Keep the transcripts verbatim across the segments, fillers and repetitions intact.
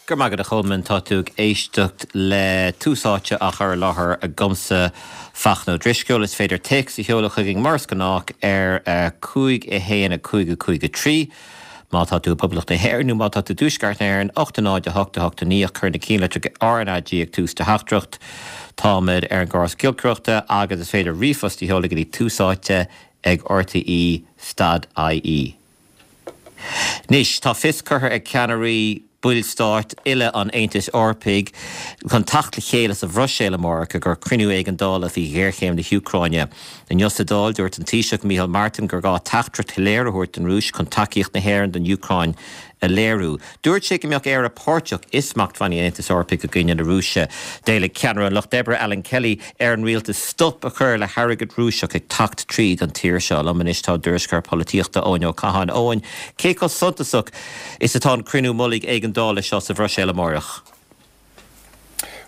Go raibh maith agat a Cholmáin tá tú ag éisteacht le Tús Áite á chur i láthair agamsa Fachtna Ó Drisceoil is féidir téacs a sheoladh chugainn mar is gnách ar cúig a haon a cúig a cúig a trí. Má tá tú i bPoblacht na hÉireann nó má tá tú i dTuaisceart na hÉireann ocht náid a hocht a hocht a naoi cuir na ceannlitreacha RnaG ag tús do theachtaireacht Táimid ar an gcóras giolcaireachta agus is féidir ríomhphost a sheoladh go dtí tús áite ag RTÉ dot IE. Anois tá fios curtha ag ceannairí ballstáit uile an Aontais Eorpaigh chun teacht le chéile sa Bhruiséil amárach ag cruinniú éigeandála faoi ghéarchéim na hÚcráine. Inniu sa Dáil dúirt an Taoiseach Micheál Martin gur gá teachtaireacht shoiléir a thabhairt don Rúis chun tacaíocht na hÉireann don Úcráin a léiriú. Dúirt sé go mbeadh Éire páirteach i smachtbhannaí an Aontais Eorpaigh i gcoinne na Rúise. D'éiligh ceannaire an Lucht Oibre Alan Kelly ar an rialtas stop a chur le hairgead Rúiseach ag teacht tríd an tír seo. Liom anois tá tuairisceoir polaitíochta Eoin Ó Catháin Eoin, cé chomh suntasach is atá an cruinniú mullaigh éigeandála seo sa Bhruiséil amárach.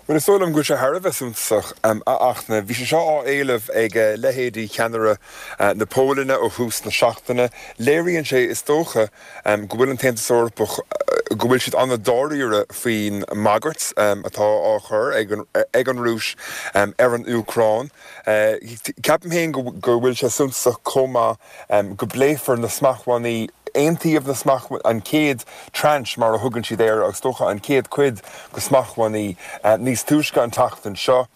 Well is dóigh liom go bhfuil sé thar a bheith suntasach a Fhachtna. Bhí sé seo á éileamh ag leithéidí cheannaire na Polainne ó thús na seachtaine. Léiríonn sé is dócha go bhfuil an tAontas Eorpach go bhfuil siad an-dáiríre faoin mbagairt atá á chur ag an, ag an Rúis ar an Úcráin. Ceapaim féin go bhfuil sé suntasach chomh maith go bpléifear na smachtbhannaí aontaíodh na smacht an chéad tranche mar a thugann siad air agus dócha an chéad chuid de smachtbhannaí níos túisce an tseachtain seo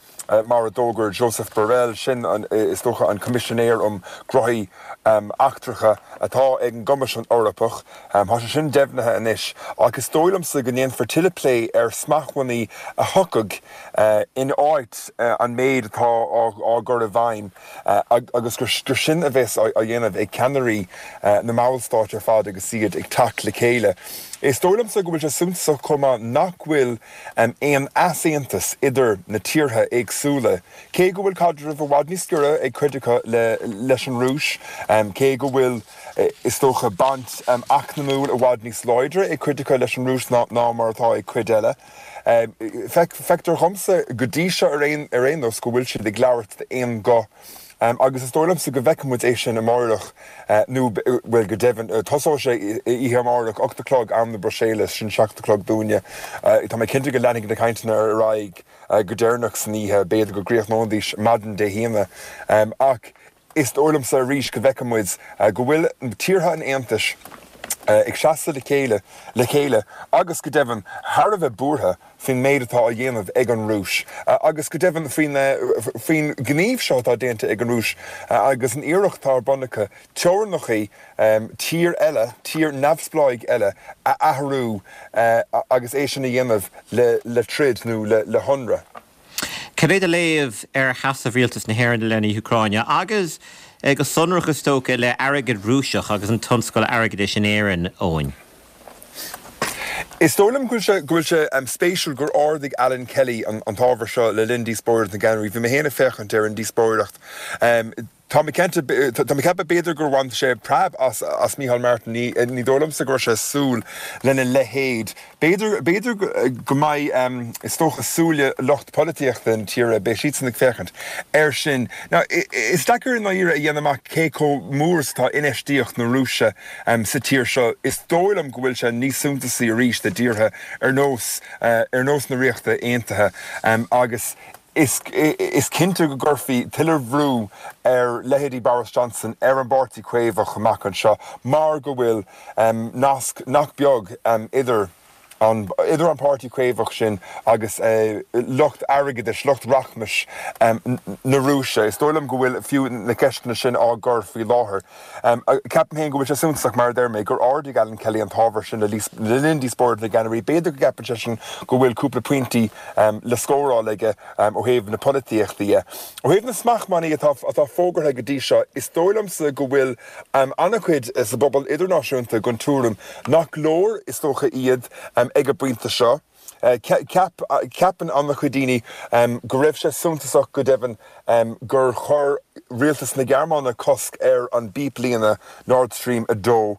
mar a d'fhógair Josep Borrell sin an, is dócha an Coimisinéir um Ghnóthaí Eachtracha atá ag an gCoimisiún Eorpach. Tá sé sin deimhnithe anois ach is dóigh liomsa go ndéanfar tuilleadh plé ar smachtbhannaí a thiocfaidh in áit an méid atá á gcur i bhfeidhm agus gur sin a bheas á dhéanamh ag ceannairí na mballstát ar fad agus iad ag teacht le chéile. Is dóigh liomsa go bhfuil sé suntasach chomh maith nach bhfuil aon easaontas idir na tíortha éagsúla, cé go bhfuil caidreamh i bhfad níos giorra ag cuid acu leis an Rúis, cé go bhfuil is dócha baint eacnamúil i bhfad níos láidre ag cuid acu leis an Rúis ná mar atá ag cuid eile. Feictear dhomsa go dtí seo ar aon ar aon nós go bhfuil siad ag labhairt d'aon ghuth agus is dóigh liomsa go bhfeicfidh muid é sin amárach nó bhuel go deimhin tosóidh sé oíche amárach ocht a chlog am na Bruiséile sin seacht a chlog dúinne. Tá mé cinnte go leanfaidh na cainteanna ar aghaidh go deireanach san oíche, b'fhéidir go gcríochnóidís maidin Dé hAoine ach is dóigh liomsa arís go bhfeicfidh muid go bhfuil tíortha an Aontais ag seasamh le chéile le chéile agus go deimhin thar a bheith buartha faoin méid atá á dhéanamh ag an Rúis agus go deimhin faoin faoin ghníomh seo atá déanta ag an Rúis agus an iarracht atá ar bun acu teorainneacha tír eile, tír neamhspleách eile a athrú agus é sin a dhéanamh le le troid nó le le hionradh. Cad é do léamh ar sheasamh rialtas na hÉireann i leith na hÚcráine agus go sonrach is dócha le airgead Rúiseach agus an tionscal airgeadais in Éirinn Eoin? Is dóigh liom go bhfuil sé go bhfuil sé spéisiúil gur ardaigh Alan Kelly an an t-ábhar seo le linn díospóireacht na gceannairí. Bhí mé féin ag féachaint ar an díospóireacht. Tá mé cinnte tá mé ag ceapadh b'fhéidir gur bhain sé preab as as Micheál Martin ní ní dóigh liomsa go raibh sé ag súil lena leithéid. B'fhéidir b'fhéidir go mbeidh is dócha súile lucht polaitíochta na tíre beidh siadsan ag féachaint air sin. Now is deacair i ndáiríre a dhéanamh amach cé chomh mór is atá infheistíocht na Rúise sa tír seo. Is dóigh liom go bhfuil sé níos suntasaí arís i dtíortha ar nós ar nós na Ríochta Aontaithe agus Is cinnte go gcuirfí tuilleadh brú ar leithéidí Boris Johnson, ar an bPáirtí Caomhach amach anseo mar go bhfuil nasc nach beag idir an idir an Páirtí Caomhach sin agus lucht airgeadais, lucht rachmais na Rúise. Is dóigh liom go bhfuil fiú na ceisteanna sin á gcur faoi láthair. Ceapaim féin go bhfuil sé suntasach, mar a deir mé, gur ardaigh Alan Kelly an t-ábhar sin le linn díospóireacht na gceannairí. B'fhéidir go gceapann seisean go bhfuil cúpla pointí le scóráil aige ó thaobh na polaitíochta dhe. Ó thaobh na smachtbhannaí atá atá fógartha go dtí seo, is dóigh liomsa go bhfuil an-chuid sa bpobal idirnáisiúnta den tuairim nach leor, is dócha, iad ag an bpointe seo. Cheap, ceapann an-chuid daoine go raibh sé suntasach go deimhin gur chuir rialtas na Gearmáine cosc ar an bpíblíne Nord Stream a dó.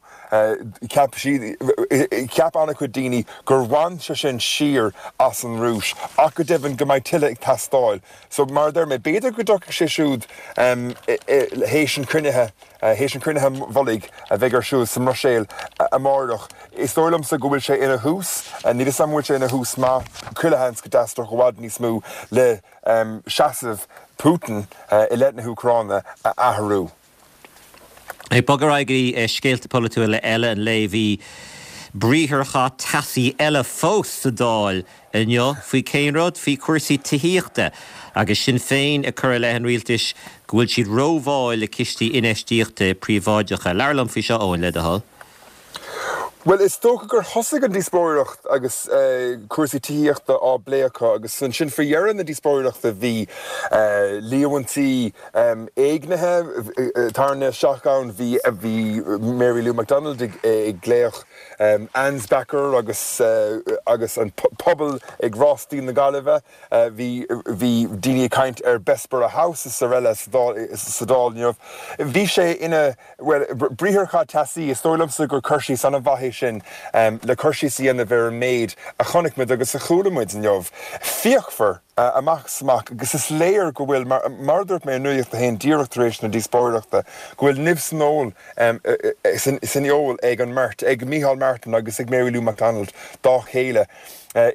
Cheap siad, cheap an-chuid daoine gur bhain sé sin siar as an Rúis ach go deimhin go mbeidh tuilleadh ag teastáil. So mar a deir mé, b'fhéidir go dtiocfaidh sé siúd théis an chruinnithe. Théis an chruinnithe mhullaigh a bheidh ar siúl sa mBruiséil amárach, is dóigh liomsa go bhfuil sé ina thús, níl 'fhios a'm an bhfuil sé ina thús maith, chuile sheans go dteastódh i bhfad níos mó le seasamh Putin i leith na hÚcráine a athrú. Ag bogadh ar aghaidh go dtí scéalta polaitiúla eile an lae, bhí briatharchath teasaí eile fós sa Dáil inniu faoi cén rud? Faoi chúrsaí tithíochta agus Sinn Féin ag cur i leith an rialtais go bhfuil siad rómhall le cistí infheistíochta príobháideacha. Labhair liom faoi seo, Eoin, le do thoil. Bhuel, is dócha gur thosaigh an díospóireacht agus cúrsaí tithíochta á bplé acu agus ansin faoi dheireadh na díospóireachta bhí líomhaintí éignithe tarraingthe isteach ann, bhí bhí Mary Lou McDonald ag glaoch Ansbacher agus agus an pobal ag Rástaí na Gaillimhe, bhí bhí daoine ag caint ar Bessborough House is araile sa Dáil inniu. Bhí sé ina Bhuel, briatharchath teasaí, is dóigh liomsa gur cur síos an-mhaith é sin le cur síos a dhéanamh ar an méid a chonaic muid agus a chuala muid inniu. Fíochmhar amach is amach agus is léir go bhfuil, mar a dúirt mé ar Nuacht a hAon díreach tar éis na díospóireachta, go bhfuil nimh san fheoil san fheoil ag an mbeirt, ag Micheál Martin agus ag Mary Lou McDonald dá chéile.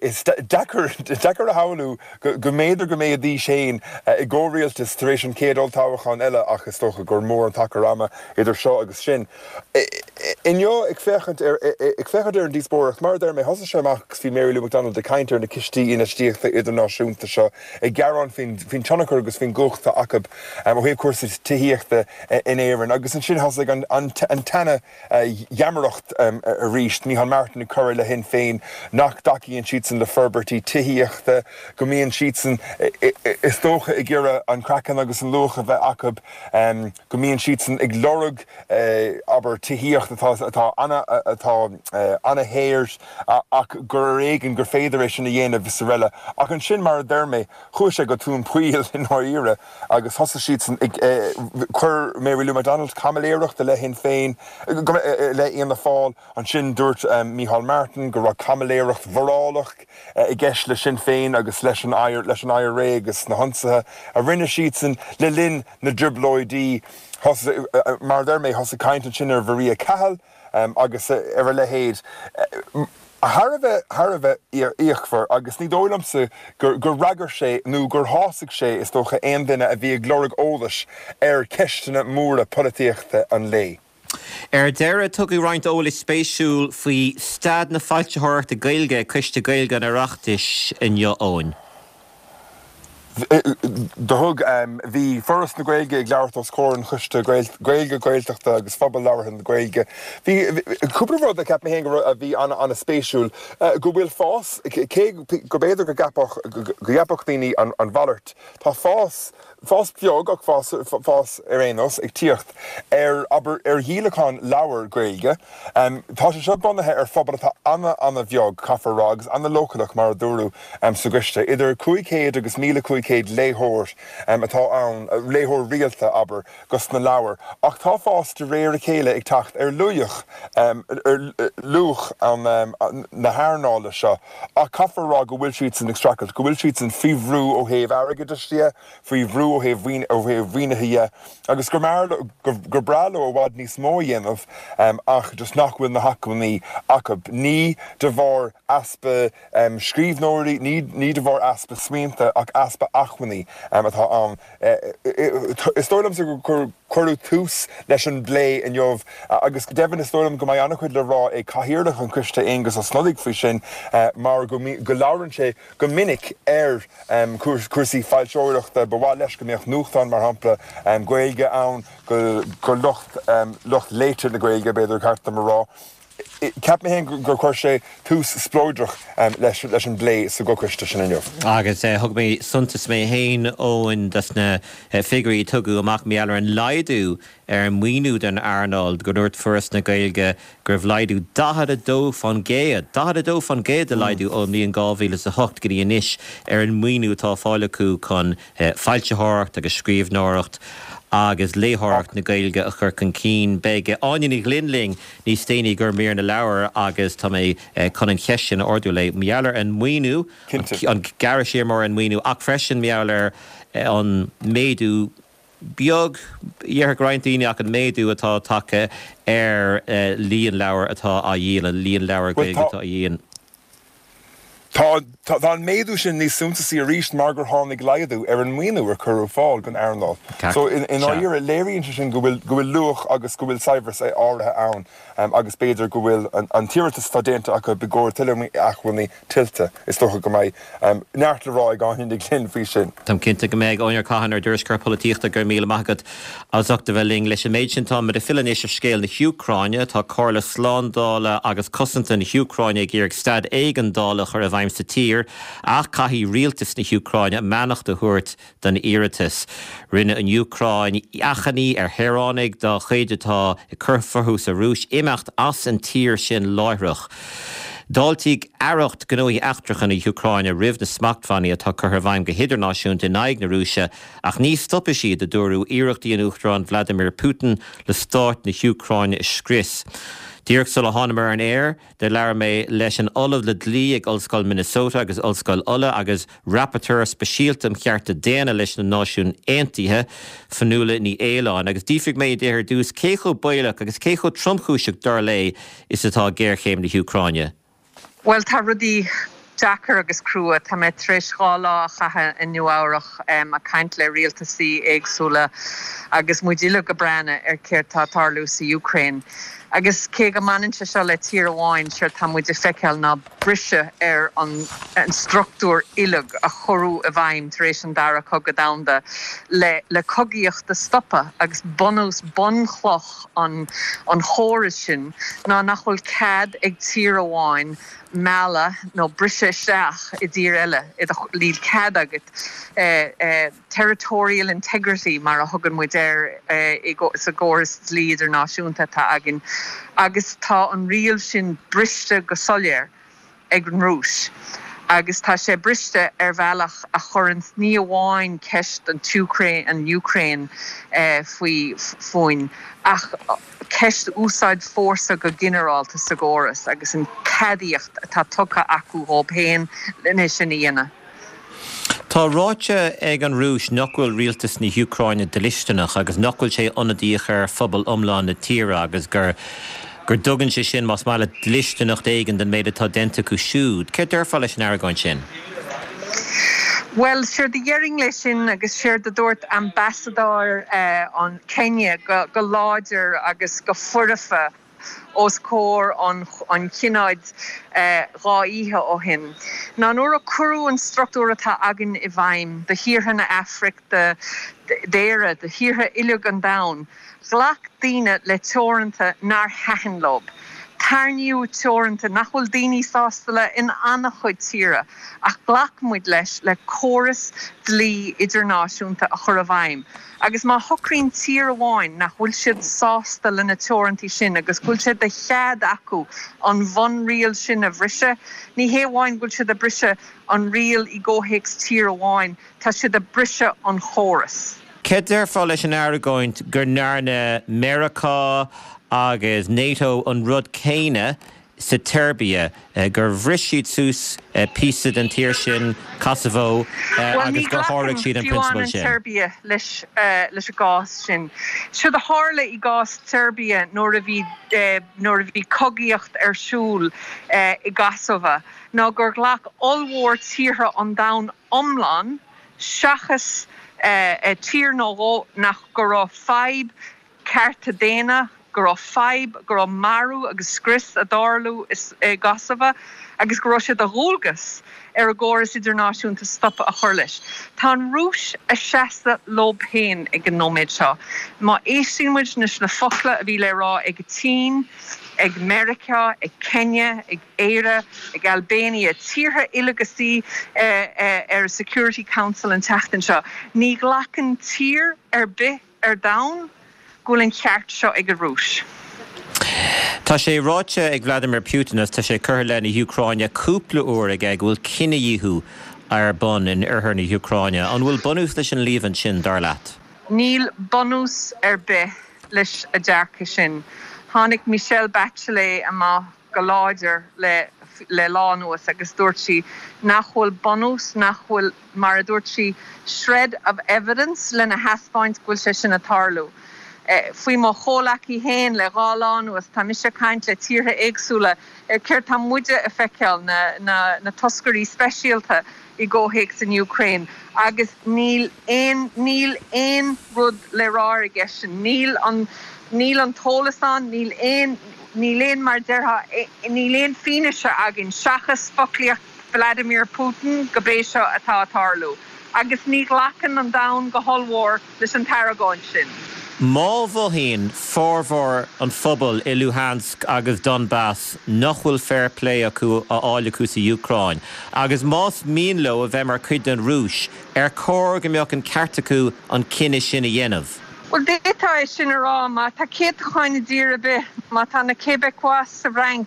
Is deacair a shamhlú go mb'fhéidir go mbeidís féin i gcomhrialtas tar éis an chéad olltoghchán eile ach is dócha gur mór an t-achar ama idir seo agus sin. Inniu, ag féachaint ar ag féachaint ar an díospóireacht, mar a deir mé, thosaigh sé amach agus bhí Mary Lou McDonald ag caint ar na cistí infheistíochta idirnáisiúnta seo, ag gearán faoin tionchar agus faoin gcumhacht atá acu ó thaobh cúrsaí tithíochta in Éirinn agus ansin thosaigh an tseana gheamaireacht arís, Micheál Martin ag cur i leith Shinn Féin nach dtacaíonn siadsan le forbairtí tithíochta, go mbíonn siadsan, is dócha, ag iarraidh an craiceann agus an luach a bheith acu, go mbíonn siadsan ag lorg, abair, tithíocht atá atá atá ana-shaor ach gur ar éigean gur féidir é sin a dhéanamh is araile. Ach ansin, mar a deir mé, chuaigh sé go tóin poill i ndáiríre agus thosaigh siadsan ag, chuir Mary Lou McDonald caimiléireacht i leith Shinn Féin, i leith Fhianna Fáil. Ansin dúirt Micheál Martin go raibh caimiléireacht mhorálach i gceist le Sinn Féin agus leis an leis an IRA agus na hionsaithe a rinne siadsan le linn na dTrioblóidí. Mar a deir mé, thosaigh caint ansin ar Mharia Cahill agus ar a leithéid. Thar a bheith, thar a bheith fíochmhar agus ní dóigh liomsa gur fhreagair sé nó gur shásaigh sé, is dócha, aon duine a bhí ag lorg eolais ar cheisteanna móra polaitíochta an lae. Ar deireadh, tugadh roinnt eolais spéisiúil faoi staid na foilsitheoireachta Gaeilge ag Coiste Gaeilge an Oireachtais inniu, Eoin. Do thug, bhí Foras na Gaeilge ag labhairt os comhair an Choiste Gaeilge, Gaeltachta agus Phobal Labhartha na Gaeilge. Bhí cúpla rud a cheap mé féin go raibh, a bhí an-an-spéisiúil, go bhfuil fás, cé go b'fhéidir go gceapfadh, go gceapfadh daoine an mhalairt, tá fás, fás beag ach fás, fás ar aon nós, ag tíocht ar, abair, ar dhíolachán leabhar Gaeilge. Tá sé seo bunaithe ar phobal atá ana-ana-bheag, caithfear a rá, agus ana-leochaileach, mar a dúradh sa gcoiste. Idir cúig chéad agus míle cúig chéad léitheoir atá ann, léitheoir rialta, abair, dos na leabhair. Ach tá fás de réir a chéile ag teacht ar luach, ar luach na hearnála seo. Ach caithfear a rá go bhfuil siadsan ag streachailt, go bhfuil siadsan faoi bhrú ó thaobh airgeadais de, faoi bhrú ó thaobh ó thaobh mhaoinithe dhe agus gur gur breá leo i bhfad níos mó a dhéanamh ach just nach bhfuil na hacmhainní acu. Ní de bharr easpa scríbhneoirí, ní ní de bharr easpa smaointe ach easpa acmhainní atá ann. Is dóigh liomsa gur cuireadh tús leis an bplé inniu agus go deimhin is dóigh liom go mbeidh an-chuid le rá ag Cathaoirleach an Choiste Aengus Ó Snodaigh faoi sin mar go go labhrann sé go minic ar chúrsaí foilsitheoireachta. Ba mhaith leis go mbeadh nuachtán, mar shampla, Gaeilge ann go lucht lucht léite na Gaeilge, b'fhéidir, ceart dom a rá. Cheap mé féin gur chuir sé tús spleodrach leis leis an bplé sa gcoiste sin inniu. Agus thug mé suntas mé féin, Eoin, dos na figiúirí a tugadh amach mar gheall ar an laghdú ar an maoiniú don earnáil, go ndúirt Foras na Gaeilge go raibh laghdú daichead a dó faoin gcéad, daichead a dó faoin gcéad de laghdú ón mbliain dhá mhíle is a hocht go dtí anois ar an maoiniú atá á fáil acu chun foilsitheoireacht agus scríbhneoireacht agus léitheoireacht na Gaeilge a chur chun cinn. Beidh Áine Ní Ghlinn linn níos déanaí i gcomhair Mír na Leabhar agus tá mé chun an cheist sin a ardú léi mar gheall ar an maoiniú, an gearradh siar mór ar an maoiniú ach freisin mar gheall ar an méadú beag, déarfadh roinnt daoine, ach an méadú atá tagtha ar líon leabhar atá á dhíol, an líon leabhar Gaeilge atá á dhíol. Tá tá an méadú sin níos suntasaí arís mar gur tháinig laghdú ar an maoiniú a cuireadh ar fáil don earnáil. So in in áirithe léiríonn sé sin go bhfuil go bhfuil luach agus go bhfuil saibhreas áirithe ann um, agus b'fhéidir go bhfuil an, an t-iarratas atá déanta acu i gcomhair tuilleadh acmhainní tuillte is dócha go mbeidh um, neart le rá ag Áine Ní Ghlinn faoi sin. Táim cinnte go mbeidh Áine Cahan ár dtuairisceoir polaitíochta go raibh míle maith agat as ucht a bheith linn leis an méid sin tá ag filleadh anois ar scéal na hÚcráine tá Comhairle Slándála agus Cosanta na hÚcráine ag iarraidh staid éigeandála a chur i bhfeidhm sa tír ach caithfidh rialtas na hÚcráine beannacht a thabhairt don iarratas. Rinne an Úcráin achainí ar shaoránaigh dá chuid atá ag cur fúthu sa Rúis imeacht as an tír sin láithreach. D'fháiltigh Aireacht Gnóthaí Eachtracha na hÚcráine roimh na smachtbhannaí atá curtha i bhfeidhm go hidirnáisiúnta in aghaidh na Rúise ach ní stopfaidh siad a dúradh iarrachtaí an Uachtaráin Vladimir Putin le stát na hÚcráine a scrios. Díreach sula thánamar ar an aer, de labhair mé leis an Ollamh le Dlí ag Ollscoil Minnesota agus Ollscoil Uladh agus Rapporteur Speisialta um Chearta Daonna leis na Náisiúin Aontaithe Fionnuala Ní Aoláin, agus d'fhiafraigh mé di ar dtús cé chomh baolach agus cé chomh tromchúiseach dar léi is atá géarchéim na hÚcráine. Well tá rudaí deacair agus crua tá mé tar éis dhá lá a chaitheamh i Nua-Eabhrac um, ag caint le rialtasaí éagsúla agus muid uile ag breathnú ar céard tá ag tarlú sa Ukraine. Agus cé go mbaineann sé seo le tír amháin sé tá muid ag feiceáil ná briseadh ar an, an struchtúr uilig a cuireadh i bhfeidhm tar éis an dara cogadh domhanda le, le cogaíocht a stopadh agus bunús bunchloch an, an chóras sin ná nach bhfuil cead ag tír amháin mealladh nó briseadh isteach i dtír eile níl cead agat eh, eh, territorial integrity mar a thugann muid air eh, sa gcóras dlí idirnáisiúnta atá againn agus tá an riail sin briste go soiléir ag an Rúis. Agus tá sé briste ar bhealach a chuireann ní amháin ceist an Úcráin an Ukraine eh, faoi fúinn ach ceist úsáid fórsa go ginearálta sa gcóras agus an ceadaíocht atá tugtha acu dóibh féin lena sin a dhéanamh. Tá ráite ag an Rúis nach bhfuil rialtas na hÚcráine dlisteanach agus nach bhfuil sé ionadaíoch ar phobal iomlán na tíre agus gur gur dtugann sé sin más maith le dlisteanacht éigin den méid atá déanta acu siúd. Cé déarfá leis an argóint sin? Well séard a déarfainn leis sin agus séard a dúirt ambasadóir uh, an Kenya go, go láidir agus go foirfe os comhair an, an tSionaid uh, dhá oíche ó shin. Ná nuair a cuireadh an struchtúr atá againn i bhfeidhm do thíortha na Afraice d'Éire do thíortha uilig an domhain, Ghlac daoine le teoranta nár thaitin leo. Tarraingíodh teoranta nach bhfuil daoine sásta le in an-chuid tíortha ach ghlac muid leis le córas dlí idirnáisiúnta a chur i bhfeidhm. Agus má shocraíonn tír amháin nach bhfuil siad sásta lena teorantaí sin agus bhfuil sé de chead acu an bhunriail sin a bhriseadh, ní hé amháin bhfuil siad ag briseadh an riail i gcomhthéacs tír amháin, tá siad ag briseadh an chóras. Cé déarfá leis an argóint go ndearna Meiriceá agus NATO an rud céanna sa tSeirbia gur bhris siad suas píosa den tír sin Kosovo agus gur sháraigh siad an prionsabal sin. Serbia leis leis an gcás sin. Séard a tharla i gcás Serbia nuair a bhí nuair a bhí cogaíocht ar siúl i gCosova ná gur ghlac ollmhór tíortha an domhain iomlán seachas tír nó dhó nach go raibh fadhb cearta daonna go raibh fadhb go raibh marú agus scrios ag tarlú i gCosova agus go raibh sé de dhualgas ar an gcóras idirnáisiúnta stop a chur leis. Tá an Rúis ag seasamh leo féin ag an nóiméad seo. Má éisteann muid leis na focla a bhí le rá ag Tsín, ag Meiriceá, ag Kenya, ag Éire, ag Albania, tíortha uilig a suí ar Security Council an tseachtain seo. Ní ghlacann tír ar bith ar domhan go bhfuil an ceart seo ag an Rúis. Tá sé ráite ag Vladimir Putin is tá sé curtha i leith na hÚcráine cúpla uair aige go bhfuil cinedhíothú ar bun in oirthear na hÚcráine. An bhfuil bunús leis an líomhain sin dar leat? Níl bunús ar bith leis an dearcadh sin. Tháinig Michelle Bachelet amach go láidir le le lá anuas agus dúirt sí nach bhfuil bunús nach bhfuil mar a dúirt sí shred of evidence lena thaispeáint go bhfuil sé sin ag tarlú. Faoi mo chomhleacaí féin le dhá lá anuas, tá mise ag caint le tíortha éagsúla ar céard tá muide a feiceáil, na na toscairí speisialta i gcomhthéacs an Úcráin, agus níl aon níl aon rud le rá aigesean, níl an níl an t-eolas ann, níl aon níl aon mar déarfá níl aon fianaise againn seachas foclaíocht Vladimir Putin go b'é seo atá ag tarlú. Agus ní ghlacann an domhan go hollmhór leis an t-argóint sin. Má mhothaíonn formhór an phobail i Luhansk agus Donbas nach bhfuil fair play acu á fháil acu sa Úcráin, agus más mian leo a bheith mar chuid den Rúis, ar chóir go mbeadh an ceart acu an cinneadh sin a dhéanamh? Bhuel, d'fhéadfá é sin a rá má tá céatacháin i dtír ar bith, má tá na Québécois sa Fhrainc,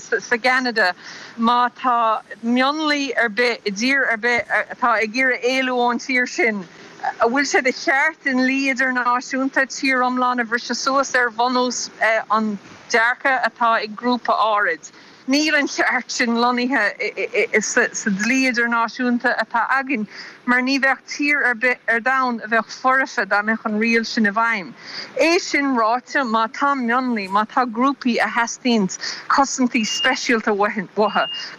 sa gCeanada, má tá mionlaigh ar bith i dtír ar bith atá ag iarraidh éalú ón tír sin, an bhfuil sé de cheart i ndlí idirnáisiúnta tír iomlán a bhriseadh suas ar bhunús an dearcadh atá ag grúpa áirid? Níl an ceart sin lonnaithe sa dlí idirnáisiúnta atá againn, mar ní bheadh tír ar bith ar domhan a bheadh foirfe dá mbeadh an riail sin i bhfeidhm. É sin ráite, má tá mionlaigh, má tá grúpaí a theastaíonns cosaintí speisialta uathu,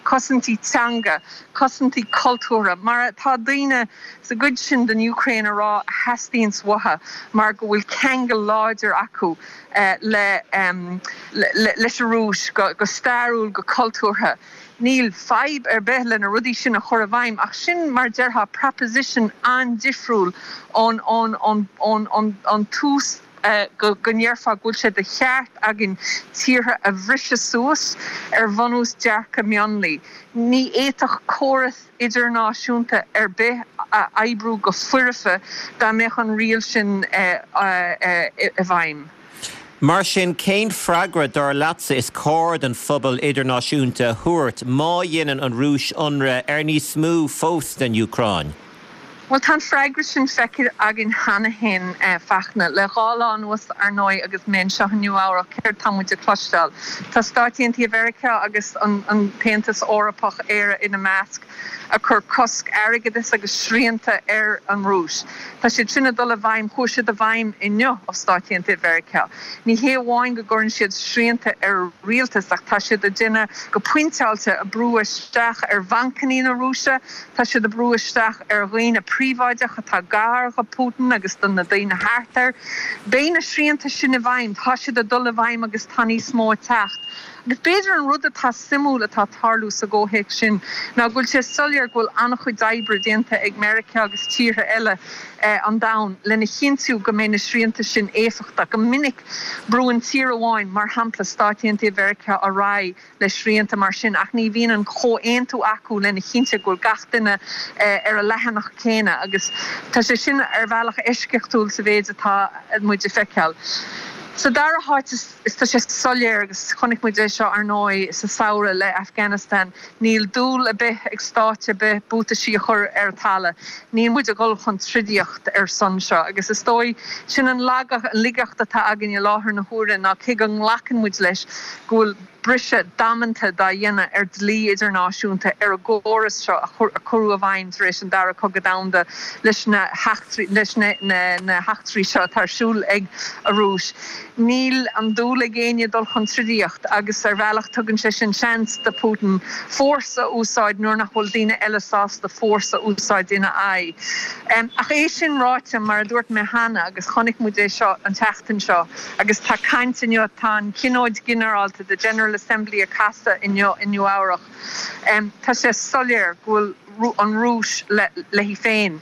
cosaintí teanga, cosaintí cultúrtha, mar atá daoine sa gcuid sin den Úcráin a rá a theastaíonns uathu mar go bhfuil ceangal láidir acu, le leis an Rúis go stairiúil, go cultúrtha. Níl fadhb ar bith le na rudaí sin a chur i bhfeidhm ach sin mar déarfá proposition an-difriúil ón ón tús go ndéarfá go bhfuil sé de cheart againn tíortha a bhriseadh suas ar bhunús dearcadh mionlaigh. Ní fhéadfadh córas idirnáisiúnta ar bith a oibriú go foirfe dá mbeadh an riail sin i bhfeidhm. Mar sin, cén freagra, dar leatsa, is cóir don phobal idirnáisiúnta a thabhairt má dhéanann an Rúis ionradh ar níos mó fós den Úcráin? Bhuel, tá an freagra sin feicthe againn cheana féin, Fachtna. Le dhá lá anuas, ar ndóigh, agus mé anseo i Nua Eabhrac, céard tá muid ag cloisteáil? Tá Stáit Aontaithe Mheiriceá agus an tAontas Eorpach, Éire ina measc, ag cur cosc airgeadais agus srianta ar an Rúis. Tá siad sin ag dul i bhfeidhm, chuaigh siad i bhfeidhm inniu ó Stáit Aontaithe Mheiriceá. Ní hé amháin go gcuireann siad srianta ar an rialtas ach tá siad ag déanamh go pointeáilte ag brú isteach ar bhancanna na Rúise, tá siad ag brú isteach ar dhaoine príobháideach atá gar do Putin agus do na daoine thart air. Beidh na srianta sin i bhfeidhm, tá siad ag dul i bhfeidhm agus tá níos mó ag teacht. Agus b'fhéidir an rud atá suimiúil atá ag tarlú sa gcomhthéacs sin ná go bhfuil sé soiléir go bhfuil an-chuid oibre déanta ag Meiriceá agus tíortha eile an domhain lena chinntiú go mbeidh na srianta sin éifeachtach. Go minic brúann tír amháin, mar shampla Stáit Aontaithe Mheiriceá, ar aghaidh le srianta mar sin ach ní bhíonn an comhaontú acu lena chinntiú go bhfuil gach duine ar an leathanach céanna agus tá sé sin ar bhealach eisceachtúil sa mhéid atá muid ag feiceáil. Sa dara háit is tá sé soiléir agus chonaic muid é seo ar ndóigh sa samhradh le Afghanistan, níl dúil ar bith ag stáit ar bith buataisí a chur ar an talamh. Níl muid ag dul chun troidaíocht ar son seo agus is dóigh sin an laigeacht atá againn i láthair na huaire ná cé go nglacann muid leis go bhfuil briseadh damanta dá dhéanamh ar dlí idirnáisiúnta ar an gcóras seo a cuireadh i bhfeidhm tar éis an Dara Cogadh Domhanda leis na leis na heachtraí seo atá ar siúl ag an Rúis. Níl an dúil ag éinne dul chun troidaíocht agus ar bhealach tugann sé sin seans do Putin fórsa a úsáid nuair nach bhfuil daoine eile sásta fórsa a úsáid ina aghaidh. Ach é sin ráite, mar a dúirt mé cheana agus chonaic muid é seo an tseachtain seo agus tá caint inniu, tá an Tionól Ginearálta, the General Assembly ag casadh inniu i Nua Eabhrac. Tá sé soiléir go bhfuil an Rúis léi féin.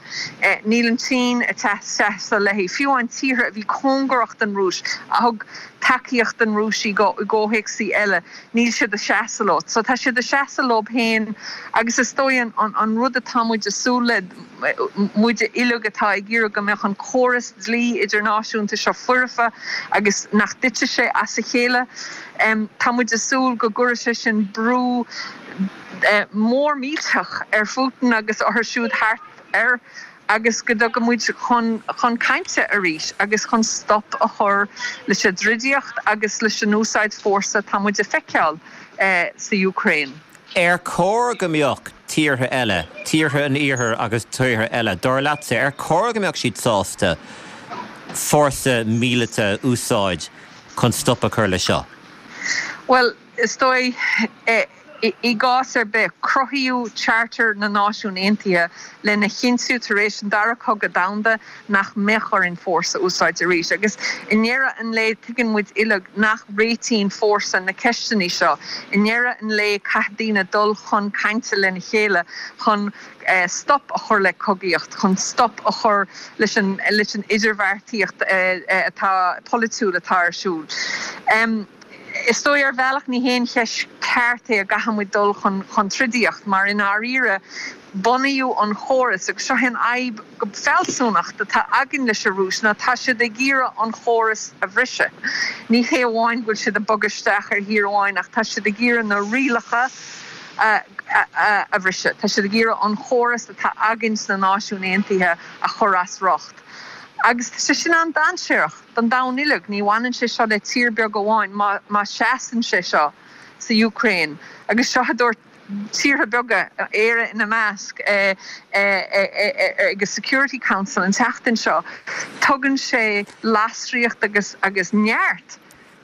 Níl an tSín ag seasamh léi. Fiú amháin tíortha a bhí cóngarach don Rúis, a thug tacaíocht don Rúis i gcomhthéacsaí eile, níl siad ag seasamh leo. So tá siad ag seasamh leo féin agus is dóigh an rud atá muid ag súil le, muid uilig atá ag iarraidh go mbeadh an córas dlí idirnáisiúnta seo foirfe agus nach dtitfidh sé as a chéile. Tá muid ag súil go gcuirfidh sé sin brú mór millteach ar Phutin agus orthu siúd thart air agus go dtiocfaidh muid chun chun cainte arís agus chun stop a chur leis an dtroidaíocht agus leis an úsáid fórsa atá muid a feiceáil sa Úcráin. Ar chóir go mbeadh tíortha eile, tíortha an Iarthair agus tíortha eile, dar leatsa, ar chóir go mbeadh siad sásta fórsa míleata a úsáid chun stop a chur leis seo? Bhuel, is dóigh i gcás ar bith, cruthaíodh Charter na Náisiún Aontaithe lena chinntiú tar éis an Dara Cogadh Domhanda nach mbeadh orainn fórsa a úsáid arís. Agus i ndeireadh an lae tuigeann muid uilig nach réitíonn fórsa na ceisteanna seo. I ndeireadh an lae caithfidh daoine dul chun cainte lena chéile chun stop a chur le cogaíocht, chun stop a chur leis an leis an idirbheartaíocht atá polaitiúil atá ar siúl. Is dóigh ar bhealach ní haon cheist ceart é a gcaithfidh muid dul chun chun troidaíocht mar i ndáiríre bunaíodh an chóras agus seo an fhadhb go fealsúnacht atá againn leis an Rúis ná tá siad ag iarraidh an chóras a bhriseadh. Ní hé amháin go bhfuil siad ag bogadh isteach ar thír amháin ach tá siad ag iarraidh na rialacha a a bhriseadh. Tá siad ag iarraidh an chóras atá againn sna Náisiúin Aontaithe a chur as riocht. Agus tá sé sin an-dainséarach don domhan uilig, ní bhaineann sé seo le tír beag amháin má má seasann sé seo sa Úcráin. Agus seo a dúirt tíortha beaga, Éire ina measc, ag an Security Council an tseachtain seo, tugann sé lasraíocht agus agus neart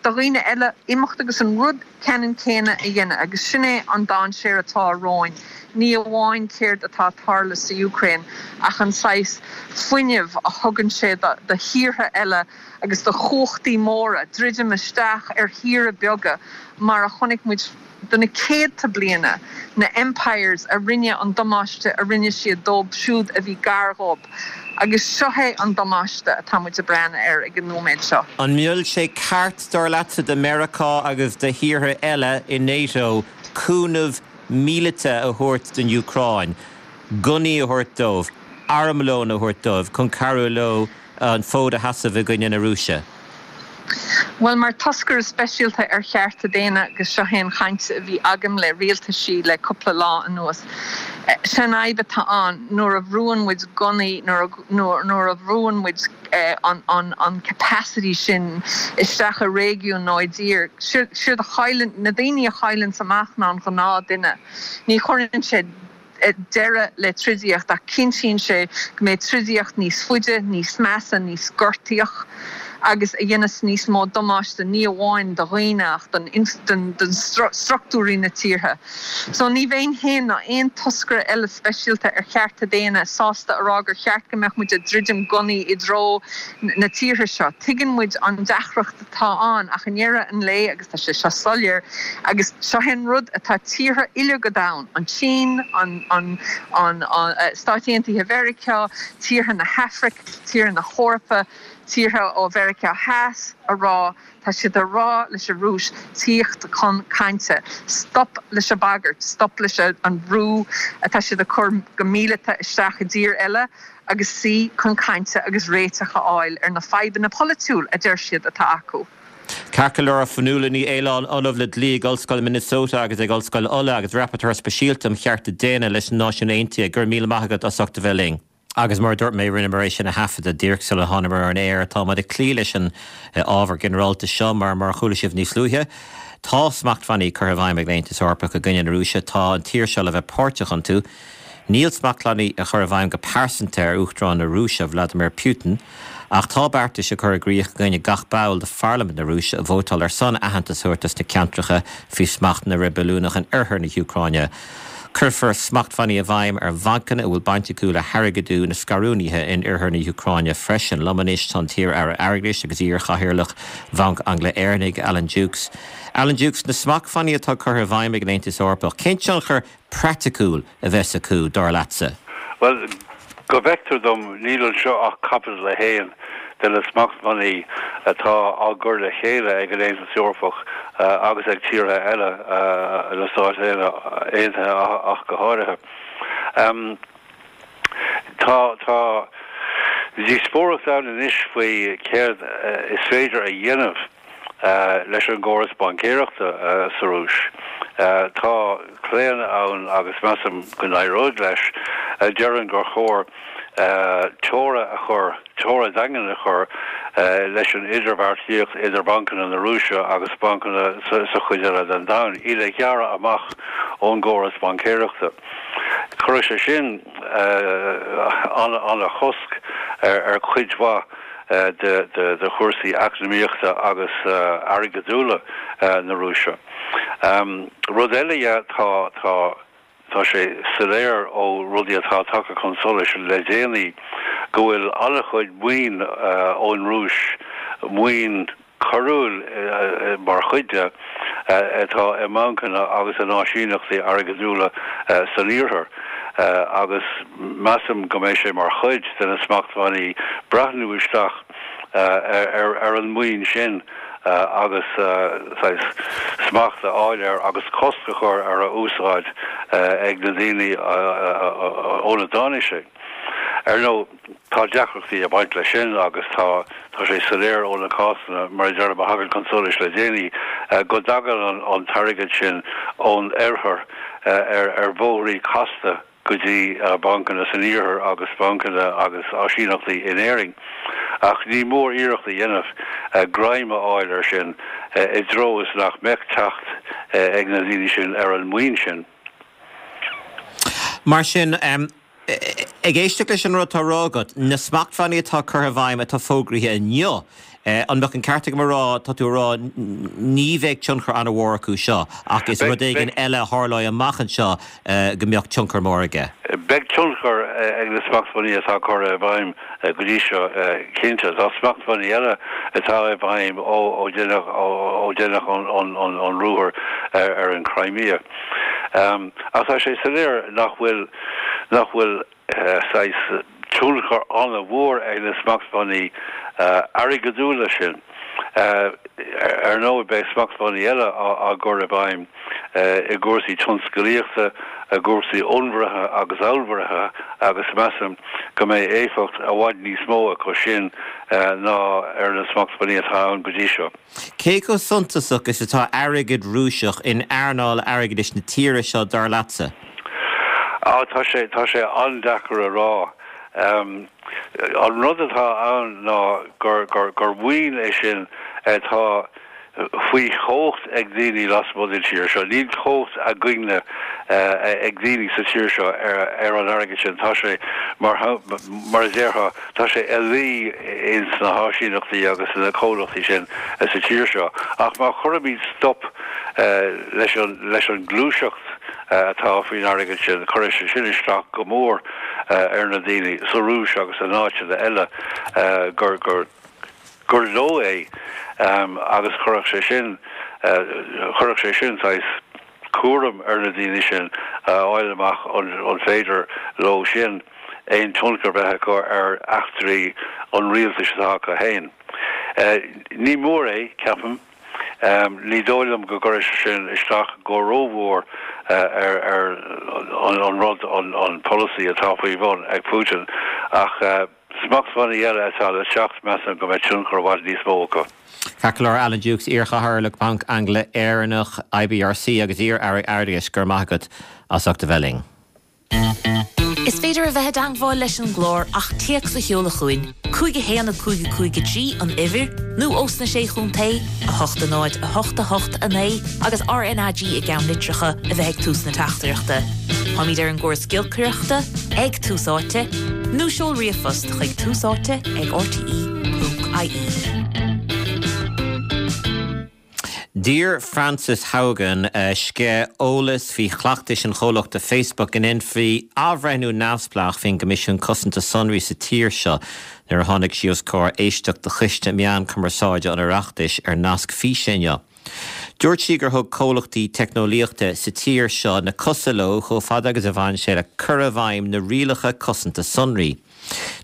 do dhaoine eile imeacht agus an rud ceannann céanna a dhéanamh agus sin é an dainséar atá romhainn, ní amháin céard atá ag tarlú sa Úcráin ach an saghas fuinnimh a thugann sé do thíortha eile agus do chumhachtaí móra druidim isteach ar thíortha beaga mar a chonaic muid do na céadta bliana, na empires a rinne an damáiste a rinne siad dóibh siúd a bhí gar dhóibh. Agus seo é an damáiste atá muid ag breathnú air ag an nóiméad seo. An mbeadh sé ceart, dar leatsa, do Meiriceá agus do thíortha eile i NATO cúnamh míleata a thabhairt don Úcráin, gunnaí a thabhairt dóibh, armlón a thabhairt dóibh chun cabhrú leo an fód a sheasamh i gcoinne na Rúise? Bhuel, mar toscaire speisialta ar chearta daonna, agus seo é an chaint a bhí agam le rialtaisí le cúpla lá anuas, sé an fhadhb atá ann nuair a bhrúann muid gunnaí, nuair a bhrúann muid an capacity sin isteach i réigiún nó i dtír, siad a chailleann, na daoine a chailleanns amach ná an gnáthduine. Ní chuireann sé deireadh le troidaíocht ach cinntíonn sé go mbeidh troidaíocht níos faide, níos measa, níos gortaíoch agus a dhéanas níos mó damáiste ní amháin do dhaoine ach don don struchtúirí na tíortha. So ní bheinn féin ná aon toscaire eile speisialta ar chearta daonna sásta a rá gur cheart go mbeadh muid ag druidim gunnaí i dtreo na tíortha seo. Tuigeann muid an deacracht atá ann ach i ndeireadh an lae, agus tá sé seo soiléir, agus seo é an rud atá tíortha uilig an domhain, an tSín, an an an Stáit Aontaithe Mheiriceá, tíortha na hAfraice, tíortha na hEorpa, tíortha ó Mheiriceá Theas a rá, tá siad a rá leis an Rúis tíocht chun cainte, stop leis an bagairt, stop leis an bhrú atá siad a chur go míleata isteach i dtír eile agus suí chun cainte agus réiteach a fháil ar na fadhbanna polaitiúil a deir siad atá acu. Ceart go leor, Fionnuala Ní Aoláin, Ollamh le Dlí ag Ollscoil Minnesota agus ag Ollscoil Uladh agus Rapporteur Speisialta um Chearta Daonna leis na Náisiúin Aontaithe, go raibh míle maith agat as ucht a bheith linn. Agus mar a dúirt mé, rinneamar é sin a thaifeadadh díreach sula thánamar ar an aer. Táimid ag cloí leis an ábhar ginearálta seo mar, mar a chuala sibh níos luaithe, tá smachtbhannaí curtha i bhfeidhm ag an Aontas Eorpach i gcoinne na Rúise. Tá an tír seo le bheith páirteach iontu. Níl smachtbhannaí á chur i bhfeidhm go pearsanta ar Uachtarán na Rúise, Vladimir Putin, ach tá beartais á chur i gcrích i gcoinne gach ball de pharlaimint na Rúise a vótáil ar son aitheantas a thabhairt dos na ceantracha faoi smacht na reibiliúnach in oirthear na hÚcráine. Cuirfear smachtbhannaí i bhfeidhm ar bhancanna a bhfuil baint acu le hairgeadú na scarúnaithe in oirthear na hÚcráine freisin. Liom anois tá an t-iar-aire airgeadais agus iar-chathaoirleach Bhanc Angla-Éireannaigh, Alan Dukes. Alan Dukes, na smachtbhannaí atá curtha i bhfeidhm ag an Aontas Eorpach, cén tionchar praiticiúil a bheas acu, dar leatsa? Bhuel, go bhfeictear dom, níl anseo ach caibidil a haon de na smachtbhannaí atá á gcur le chéile ag an Aontas Eorpach agus ag tíortha eile, na Stáit Aontaithe ach go háirithe. Tá, tá díospóireacht ann anois faoi céard is féidir a dhéanamh leis an gcóras baincéireachta sa Rúis. Tá claonadh ann, agus measaim go n-éireoidh leis, a deireann gur chóir teora a chur, teora daingean a chur leis an idirbheartaíocht idir bancanna na Rúise agus bancanna sa chuid eile den domhan, iad a ghearradh amach ón gcóras baincéireachta. Chuirfeadh sé sin an-chosc ar chuid mhaith de chúrsaí eacnamaíochta agus airgeadúla na Rúise. Rud eile dhe, tá tá tá sé soiléir ó rudaí atá tagtha chun solais le déanaí go bhfuil an-chuid maoin ón Rúis, maoin choiriúil mar chuid de, atá i mbancanna agus in áisíneachtaí airgeadúla san Iarthar agus measaim go mbeidh sé mar chuid de na smachtbhannaí breathnú isteach ar an maoin sin agus saghas smacht a fháil air agus cosc a chur ar a úsáid ag na daoine óna dtáinig sé. Ar ndóigh, tá deacrachtaí ag baint leis sin agus tá tá sé soiléir ó na cásanna, mar a deirim, a thagann chun solais le déanaí, go dtagann an t-airgead sin ón oirthear ar ar bhóithrí casta go dtí bancanna san iarthar agus bancanna agus áisíneachtaí in Éirinn. Ach ní mór iarracht a dhéanamh greim a fháil air sin i dtreo is nach mbeadh teacht ag na daoine sin ar an maoin sin. Mar sin, ag éisteacht leis an rud atá á rá agat, na smachtbhannaí atá curtha i bhfeidhm atá fógraithe inniu, an mbeadh an ceart agam a rá, tá tú a rá, ní bheidh tionchar an-mhór acu seo ach is rud éigin eile a tharlóidh amach anseo go mbeadh tionchar mór aige? Beidh tionchar ag na smachtbhannaí atá curtha i bhfeidhm go dtí seo, cinnte. Tá smachtbhannaí eile atá i bhfeidhm ó deineadh an ruathar ar an Crimea. Ach tá sé soiléir nach bhfuil nach bhfuil saghas tionchar an-mhór ag na smachtbhannaí airgeadúla sin. Ar ndóigh beidh smachtbhannaí eile á gcur i bhfeidhm i gcúrsaí tionscalaíochta, i gcúrsaí onnmhairithe agus allmhairithe agus measaim go mbeidh éifeacht i bhfad níos mó acu sin ná ar na smachtbhannaí atá ann go dtí seo. Cé chomh suntasach is atá airgead Rúiseach in earnáil airgeadais na tíre seo, dar leatsa? Á, tá sé, tá sé an-deacair a rá. An rud atá ann ná gur, gur, gur maoin é sin atá faoi chumhacht ag daoine lasmuigh den tír seo. Níl cumhacht againne ag daoine sa tír seo ar an airgead sin. Tá sé, mar mar a déarfá, tá sé ina luí ins na háisíneachtaí agus na comhlachtaí sin sa tír seo. Ach má chuirimid stop leis an leis an ngluaiseacht atá faoin airgead sin, cuirfidh sé sin isteach go mór ar na daoine sa Rúis agus in áiteanna eile gur gur gur leo é agus chuirfeadh sé sin chuirfeadh sé sin saghas cúram ar na daoine sin a fháil amach an féidir leo sin aon tionchar bheith acu ar eachtraí an rialtais atá acu féin. Ní mór é, ceapaim. Ní dóigh liom go gcuirfidh sé sin isteach go rómhór ar ar an rud, an polasaí atá faoi bhun ag Putin ach smachtbhannaí eile atá le teacht, measaim go mbeidh tionchar i bhfad níos mó acu. Ceart go leor, Alan Dukes, iar-chathaoirleach Bhanc Angla-Éireannach, IBRC, agus iar-aire airgeadais, go raibh maith agat as ucht a bheith linn. Is féidir a bheith i dteagmháil leis an gclár ach téacs a sheoladh chugainn, cúig a haon a cúig a cúig a trí an uimhir, nó ós na Sé Chontae, a hocht a náid a hocht a hocht a naoi agus RnaG i gceannlitreacha a bheith ag tús na teachtaireachta. Táimid ar an gcóras giolcaireachta ag Tús Áite, nó seol ríomhphost chuig túsáite ag rte ponc ie. D'iarr Frances Haugen sceith eolais faoi chleachtais an chomhlachta Facebook go ndéanfaí athbhreithniú neamhspleách faoin gCoimisiún Cosanta Sonraí sa tír seo nuair a tháinig sí os comhair éisteacht do Choiste Meán Cumarsáide an Oireachtais ar nasc físe inniu. Dúirt sí gur thug comhlachtaí teicneolaíochta sa tír seo na cosa leo chomh fada agus a bhain sé le cur i bhfeidhm na rialacha cosanta sonraí.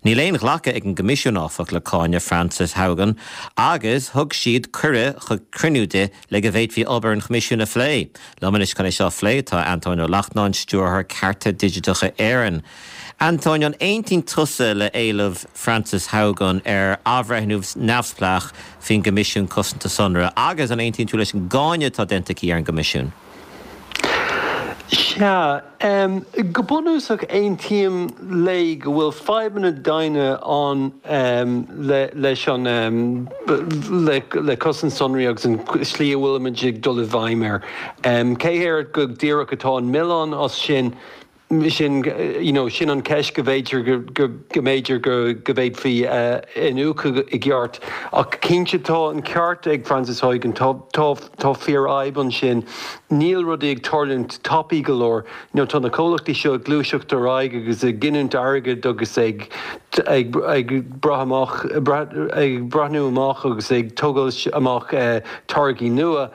Níl aon ghlacadh ag an gCoimisiún, áfach, le cáineadh Frances Haugen agus thug siad cuireadh chuig cruinniú di le go bhféadfaí obair an Choimisiúin a phlé. Liom anois chun é seo a phlé tá Antóin Ó Lachtnáin, Stiúrthóir Cearta Digiteacha Éireann. Antóin, an aontaíonn tusa le héileamh Frances Haugen ar athbhreithniú neamhspleách faoin gCoimisiún Cosanta Sonraí agus an aontaíonn tú leis an gcáineadh atá déanta aici ar an gCoimisiún? Sea, go bunúsach aontaím léi go bhfuil fadhbanna daonna ann leis an, le cosaint sonraí agus an tslí a bhfuilimid ag dul i bhfeidhm air. Cé air go díreach atá an milleán as sin? Sin you know, sin an ceist go bhféidir go go go mb'fhéidir go go bhféadfaí uh, iniúchadh i gceart. Ach cinnte tá an ceart ag Frances Hogan tá tá tá fíorfhadhb ansin. Níl rudaí ag tarlúint tapaidh go leor. You know, tá na comhlachtaí seo ag gluaiseacht ar aghaidh agus ag giniúint airgid agus ag ag ag brath amach ag breathnú amach agus ag tógáil amach uh, táirgí nua.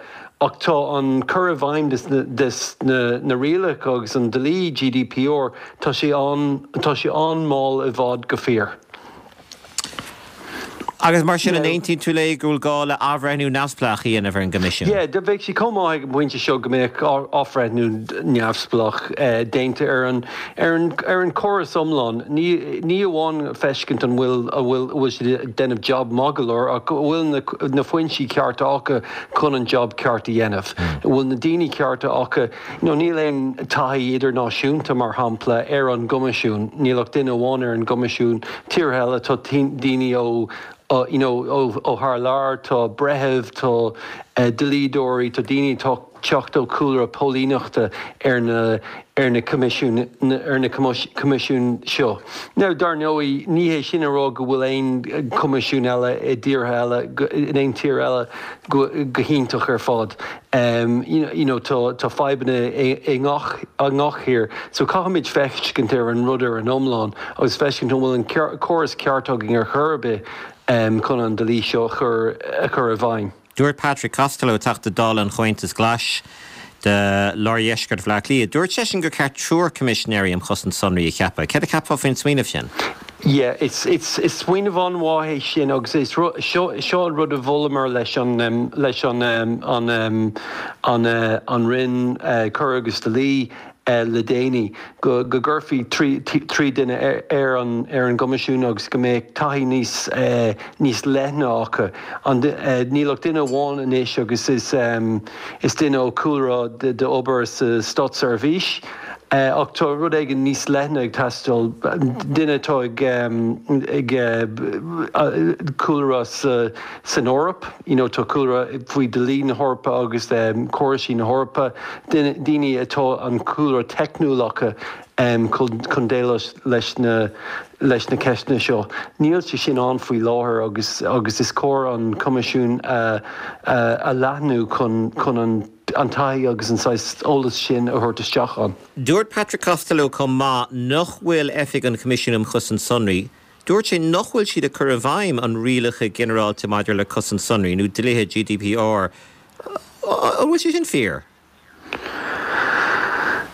Ach tá an cur i bhfeidhm des na, na rialacha agus an dlí GDPR tá sé an tá sé an-mhall i bhfad go fíor. Agus mar sin an aontaíonn tú léi go bhfuil gá le athbhreithniú neamhspleách a dhéanamh ar an gCoimisiún. Yeah, do bheadh sé chomh maith ag an bpointe seo go mbeadh athbhreithniú neamhspleách eh, déanta ar an ar an ar an córas iomlán. Ní ní amháin feiscint an bhfuil a bhfuil bhfuil siad ag déanamh job maith go leor ach bhfuil na, na foinsí cearta acu chun an job ceart a dhéanamh. Bhfuil na daoine cearta acu no, níl aon taithí idirnáisiúnta mar shampla ar an gCoimisiún, níl ach duine amháin ar an gCoimisiún tíortha eile tá daoine ó uh, you know, ó, ó thar lear tá breithimh tá uh, dlíodóirí tá daoine tá teacht ó chúlra póilíneachta ar na ar na coimisiún ar na coimisiún seo. Now dar ndóigh ní hé sin a rá go bhfuil aon coimisiún eile i dtíortha eile in aon tír eile go, go hiontach ar fad. Um, you know, you know, tá, tá fadhbanna i ngach i ngach tír, so caithfimid feiscint ar an rud ar an iomlán agus feiscint an bhfuil an córas ceart againn ar chor ar bith um, chun an dlí seo chur a chur i bhfeidhm. Dúirt Patrick Costello Teachta Dála an Chomhaontais Ghlais de lár-dheisceart Bhaile Átha Cliath. Dúirt seisean gur ceart triúr coimisinéirí um chosaint sonraí a cheapadh. Céard a cheapfá faoin smaoineamh sin? Yeah, it's it's is smaoineamh an-mhaith é sin agus is seo seo an rud a mholamar leis an um, leis an um, an um, an uh, an Roinn uh, Coir agus Dlí uh, le déanaí go go gcuirfí trí trí duine ar, ar an ar an gcoimisiún agus go mbeadh taithí níos uh, níos leithne acu. An uh, níl ach duine amháin anois agus is um, is duine ó chúlra de, de obair sa státseirbhís. Uh, ach tá rud éigin níos leithne ag teastáil duine atá ag um, ag uh, cúlra sa, san Eoraip, you know, tá cúlra faoi dlí na hEorpa agus um, córaisí na hEorpa, daoine atá an cúlra teicniúil acu um, chun déileáil leis na leis na ceisteanna seo. Níl sé sin ann faoi láthair agus agus is cóir an coimisiún uh, uh, a leathnú chun chun an an taithí agus an saghas eolas sin a thabhairt isteach ann. Dúirt Patrick Costello chomh maith nach bhfuil Oifig an Choimisiúin um Chosaint Sonraí, Dúirt sé nach bhfuil siad ag cur i bhfeidhm an rialacha ginearálta maidir le cosaint sonraí nó dlíthe GDPR. An bhfuil sé sin fíor?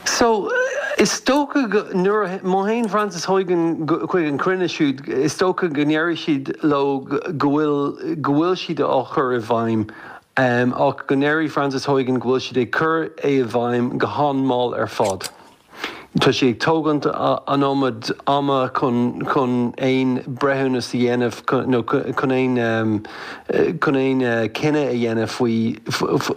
So is dócha nuair má théann Frances Hogan chuig an cruinniú siúd is dócha go ndéarfaidh siad leo go bhfuil go bhfuil siad á chur i bhfeidhm. Um, ach go ndéarfaidh Frances Hogan go bhfuil siad ag cur é i bhfeidhm go han-mhall ar fad. Tá sé ag tógaint an iomad ama chun chun aon breithiúnas a dhéanamh nó chun aon um, chun aon uh, cinneadh a dhéanamh faoi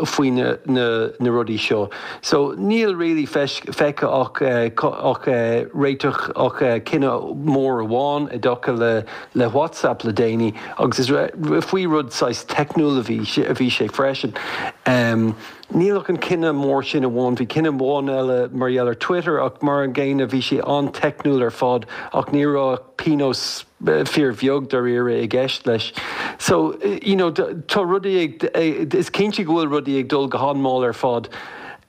faoi na, na, na rudaí seo. So níl really feicthe ach uh, ach uh, réiteach ach uh, cinneadh mór amháin i dtaca le le WhatsApp le déanaí agus is faoi rud saghas teicniúil a bhí a bhí sé freisin. Um, Níl ach an cinneadh mór sin amháin, bhí cinneadh amháin eile mar gheall ar Twitter ach mar an gcéanna bhí sé an-teicniúil ar fad ach ní raibh pionós fíorbheag dáiríre i gceist leis. So you know, tá rudaí ag is cinnte go bhfuil rudaí ag dul go han-mhall ar fad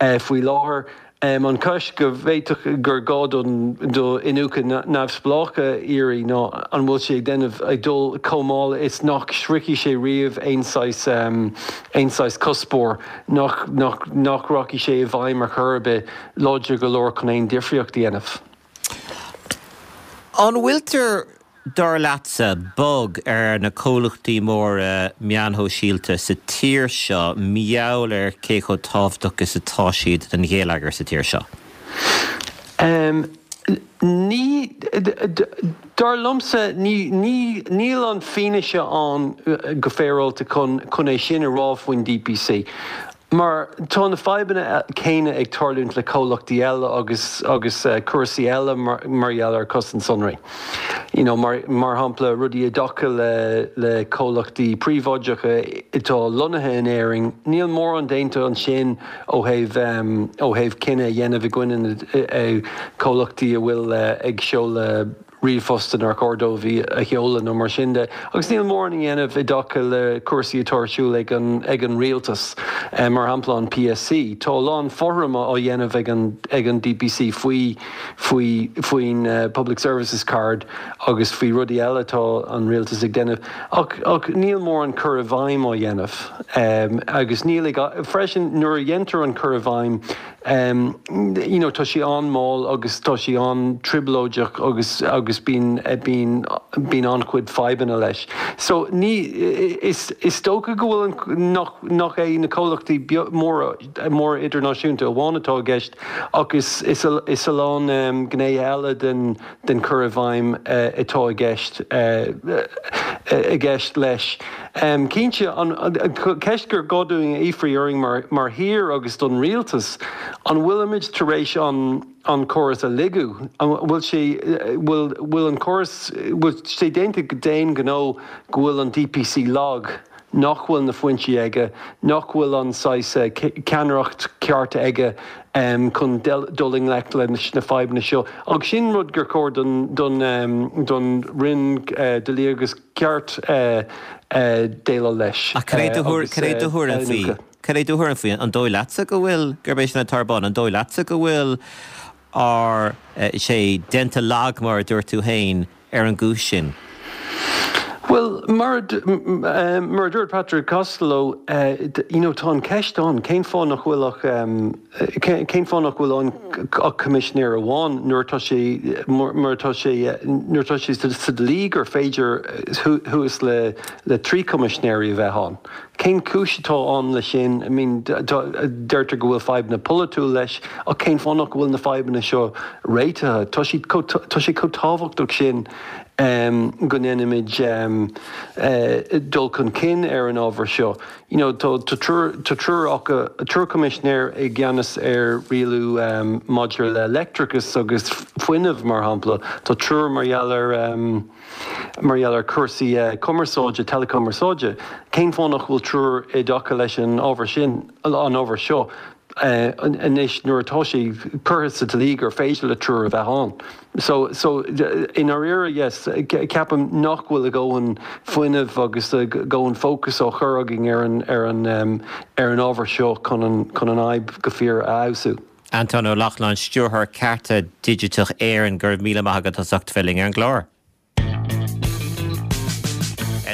uh, faoi láthair. Um, an ceist go bhféadfadh gur gá don do iniúchadh neamhspleách a iarraidh ná an bhfuil sé ag déanamh ag dul chomh mall is nach sroichfidh sé riamh aon saghas um, aon saghas cuspóir nach, nach, nach rachaidh sé i bhfeidhm ar chor ar bith láidir go leor chun aon difríocht a dhéanamh. An bhfuiltear dar leatsa bog ar na comhlachtaí móra meáin shóisialta sa tír seo mar gheall ar cé chomh tábhachtach is atá siad don gheilleagar sa tír seo. Um, ní dar liomsa ní ní níl an fianaise ann go féaráilte chun chun é sin a rá faoin DPC. Mar tá na fadhbanna céanna ag tarlúint le comhlachtaí eile agus agus cúrsaí eile mar mar gheall ar cosaint sonraí. You know, mar, mar shampla rudaí i dtaca le le comhlachtaí príobháideacha atá lonnaithe in Éirinn, níl mórán déanta ansin ó thaobh um, ó thaobh cinneadh a dhéanamh i gcoinne comhlachtaí a bhfuil ag seoladh ríomhphost nár chóir dóibh a sheoladh nó mar sin de. Agus níl mórán á dhéanamh i dtaca le cúrsaí atá ar siúl ag an ag an rialtas eh, mar shampla an PSC. Tá lán foirme á dhéanamh ag an ag an DPC faoi faoi faoin uh, Public Services Card agus faoi rudaí eile tá an rialtas ag déanamh. Ach, ach níl mórán cur i bhfeidhm á dhéanamh. Um, agus níl ag freisin nuair a dhéantar an cur i bhfeidhm um, you know, tá sé an-mhall agus tá sé an-trioblóideach agus agus bíonn bíonn bíonn an-chuid fadhbanna leis. So ní is is dócha go bhfuil nach nach é na comhlachtaí móra móra idirnáisiúnta amháin atá i gceist ach is is a, is a lán um, gné eile den den cur i bhfeidhm uh, atá i gceist uh, i gceist leis. Um, Cinnte an, an, ceist gur gá dúinn a fhiafraí orainn mar, mar thír agus don rialtas, an bhfuilimid tar éis an an córas a ligean an bhfuil sé bhfuil bhfuil an córas bhfuil sé déanta d'aon ghnó go bhfuil an DPC lag nach bhfuil na foinsí aige, nach bhfuil an saghas ceannaireacht ceart aige um, chun dul i ngleic leis na fadhbanna seo. Ach sin rud gur chóir don, don, um, don Roinn uh, Dlí agus Cirt uh, uh, déileáil leis. Ach cad é do thuairim faoi? Cad é do thuairim faoi an dóigh leatsa go bhfuil gurb é sin atá ar bun, an dóigh leatsa go bhfuil ár sé déanta lag mar a dúirt tú féin ar an gcúis sin. Well mar mar dúirt Patrick Costello uh, you know, tá an ceist ann cén fáth nach bhfuil ach um, cén fáth nach bhfuil an ach coimisinéir amháin nuair tá sé mar tá sé nuair tá sé sa dlí gur féidir thuas le le trí coimisinéirí a bheith ann. Cén cúis atá ann le sin I mean, deirtear go bhfuil fadhbanna polaitiúil leis ach cén fáth nach bhfuil na fadhbanna seo réitithe Tá sé chomh tábhachtach sin um, go ndéanaimid um, uh, dul chun cinn ar an ábhar seo. You know, tá triúr triúr coimisinéir i gceannas ar rialú um, maidir le leictreachas agus fuinneamh mar shampla, Tá triúr mar gheall ar um, mar gheall ar cúrsaí uh, cumarsáide teileachumarsáide. Cén fáth nach bhfuil triúr i dtaca leis an ábhar sin an ábhar seo. Uh, anois nuair atá sé curtha sa dlí gur féidir le triúr a bheith ann. So so in áirithe yes ceapaim nach bhfuil a ndóthain fuinneamh agus a ndóthain fócas á chur againn ar an ar an um, ar an ábhar seo chun an chun an fhadhb go fíor a fheabhsú. Anton Ó Lochlainn stiúrthóir Cearta Digiteach Éireann go raibh míle maith agat as ucht bheith linn ar an gclár.